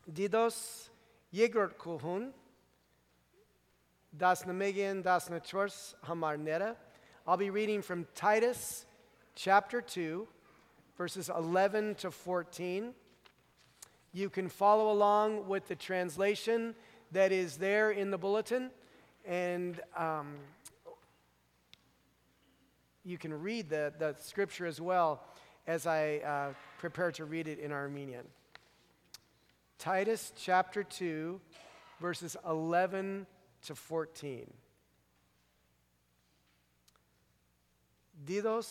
Դիդոս երկրորդ կողուն 11-14 համարները. I'll be reading from Titus chapter 2, verses 11 to 14. You can follow along with the translation that is there in the bulletin, and you can read the scripture as well as I prepare to read it in Armenian. Titus chapter 2, verses 11 to 14. Դիդոս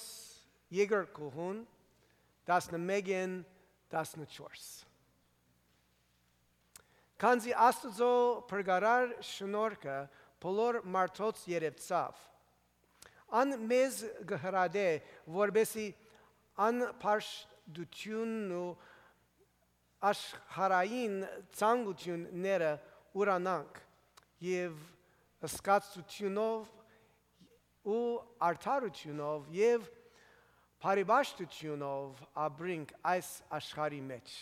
երկրորդ կողուն 11-14. Քանզի Աստծո փրկարար շնորհքը բոլոր մարդոց երևցավ, ան մեզ գհրադե, որբեսի անփաշտությունն ու աշխարհային ցանկությունները ուրանանք եւ սկացությունով ու արդարությունով եւ բարիբաշտությունով ապրենք այս աշխարհի մեջ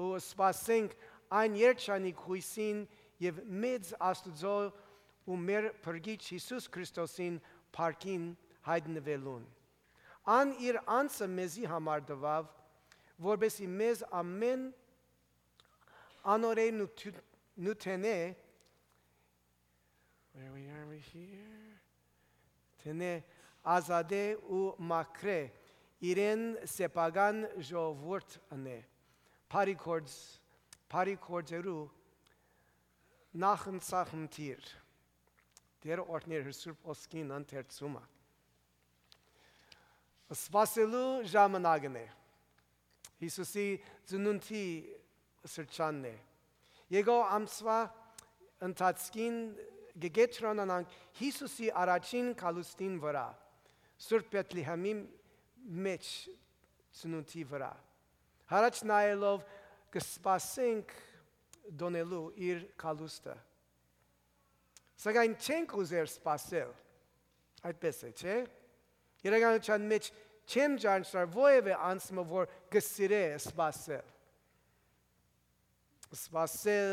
ու սպասենք այն երջանիկ հույսին եւ մեծ Աստծո ու մեր Փրկիչ Հիսուս Քրիստոսին փառքին հայտնվելուն ան իր անձը մեզի համար տվավ որբեսի մեզ ամեն անորեն նութենե where we are here Tene azade u makre իրեն սեփական ժողովուրդ անե Փարիքորձերու նախընծախնդիր դեր օրդներ հսուրբ ոսկին անթերցումը սպասելու ժամանակն է Հիսուսի ծնունդի սրճանն է Եկո ամսվա ընթացքին գեգետրոնանանք Հիսուսի առաջին կալուստին վրա Սուրբ Բեթլեհեմի մեջ ծնունդի վրա Հարաճ նայելով կսպասենք դոնելու իր կալուստը Սակայն չենք ուզեր սպասել այդպես է, չէ? Իրականության մեջ չեմ ճանաչել որևէ անձը որ կսիրե սպասել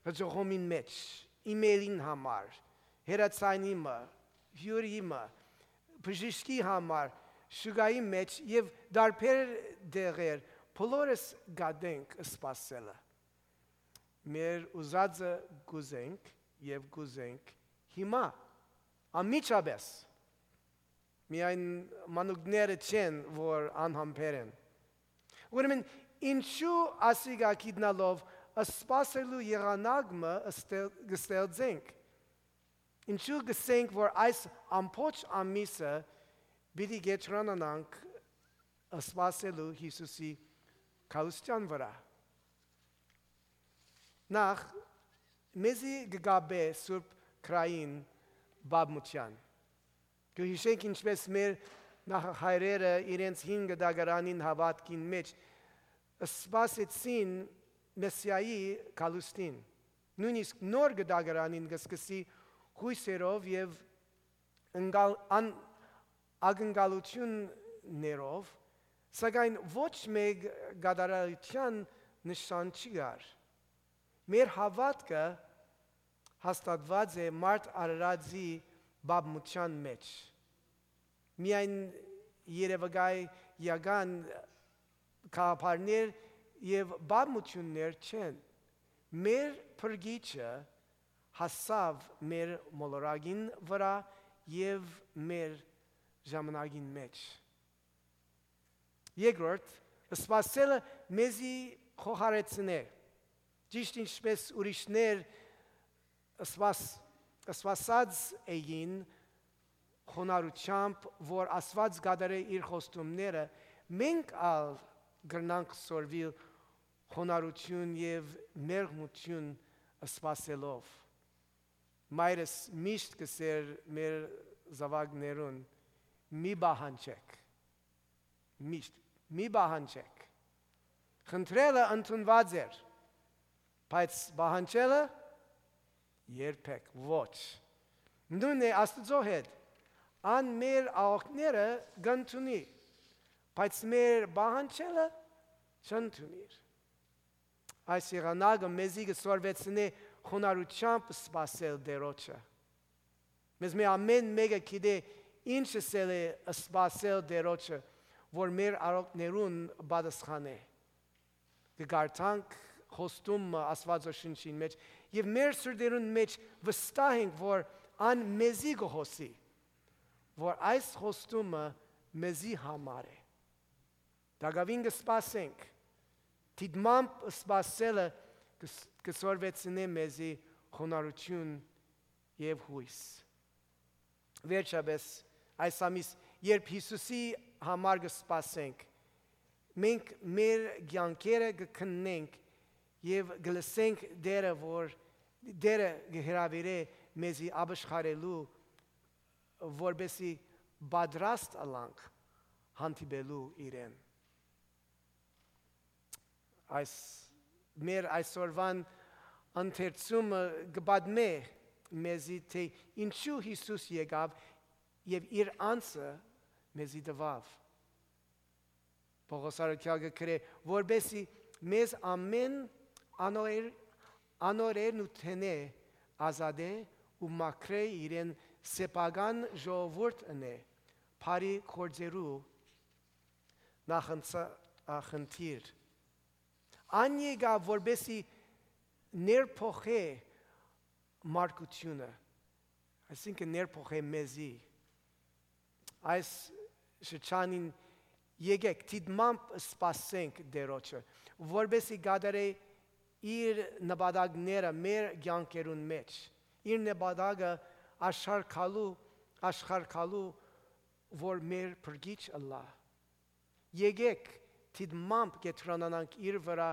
հաջողումին մեջ emailin համար, հերացանիմը, հյուրիմը, բժիշկի համար, շուգայի մեջ և դարբեր դեղեր, բոլորս գադենք սպասելը։ Մեր ուզածը գուզենք և գուզենք հիմա, ամիջապես, միայն մանուկները չեն, որ անհամբեր են։ Ուրեմն, ինչու ասիգա գիտնալով սպասելու եղանակը գստեղծենք։ Ինչու գսենք, որ այս ամբողջ ամիսը պիտի գետրոնանանք սպասելու Հիսուսի կալուստյան վրա։ Նախ, մեզի գգաբե Սուրբ Քրային բաբմության։ Կհիշենք ինչպես մեր նախահայրերը իրենց հին գդագարանին հավատքին մեջ սպասեցին Մեսիայի կալուստին, նույնիսկ նոր գդագարանին գսկսի հույսերով և ակնկալություններով, սակայն ոչ մեկ գադարարության նշան չի գար։ Մեր հավատքը հաստատված է մարդ արարածի բաբմության մեջ։ Միայն երևակայական գաղափարներ և բաբմություններ չեն, մեր Փրկիչը հասավ մեր մոլորակին վրա և մեր ժամանակին մեջ։ Երկրորդ, սպասելը մեզի խոհարեցնե, ճիշտ ինչպես ուրիշներ սպասած էին խոնարհությամբ, որ Աստված գադարե իր խոստումները, մենք ալ գրնանք սորվիլ խոնարհություն և մեղմություն սպասելով։ Մայրս միշտ կսեր մեր զավակներուն մի բահանջեք, միշտ մի բահանջեք։ Խնդրելը ընդունված էր, բայց բահանջելը երբեք ոչ։ Նույնն է Աստծո հետ, ան մեր աղոքները գնդունի, բայց մեր բահանջելը չընդունիր։ Այս եղանակը մեզի կսորվեցնե խոնարհությամբ սպասել Տերոջը։ Մեզ մի ամեն մեկը գիտե ինչ է սպասել Տերոջը, որ մեր արարողներուն պատասխանե։ Կգարտանք խոստումը Աստվածաշնչին մեջ եւ մեր սրտերուն մեջ վստահ ենք, որ ան մեզի կհոսի, որ այս խոստումը մեզի համար է։ Դակավին կսպասենք, դիտմամբ սպասելը կսորվեցնե մեզի խոնարհություն եւ հույս։ Վերջապես այս ամիս, երբ Հիսուսի համար կսպասենք, մենք մեր կյանքերը կքննենք եւ կլսենք Տերը, որ Տերը կհրավիրե մեզի ապաշխարելու, որպեսզի պատրաստ ալանք հանդիպելու իրեն։ Մեր այսօրվան ընթերցումը կպատմե մեզի, թե ինչու Հիսուս եկավ եւ իր անձը մեզի տվավ։ Պողոս առաքյալը գրե, որպեսզի մեզ ամեն անօրեն ու թենե ազատե ու մաքրե իրեն սեփական ժողովուրդ ընե, բարի գործերու նախընթիր։ Ան եկավ, որպեսզի ներփոխե մարգությունը, այսինքն ներփոխե մեզի։ Այս շրջանին եկեք դիտմամբ սպասենք Տերոջը, որպեսզի գադարե իր նպատակները մեր կյանքերուն մեջ, իր նպատակը աշխարհքալու, որ մեր փրկիչ ըլլա։ Եկեք դիտմամբ կետրոնանանք իր վրա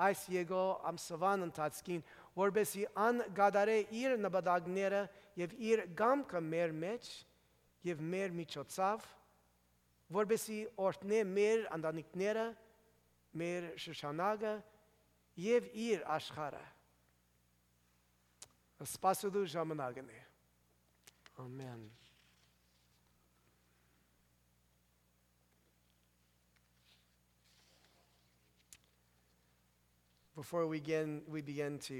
այս եկո ամսվան ընթացքին, որպեսզի ան գադարե իր նպատակները եւ իր կամքը մեր մեջ եւ մեր միջոցով, որպեսզի օրհնե մեր ընտանիքները, մեր շրջանակը եւ իր աշխարհը։ Սպասելու ժամանակն է։ Amen. Before we begin to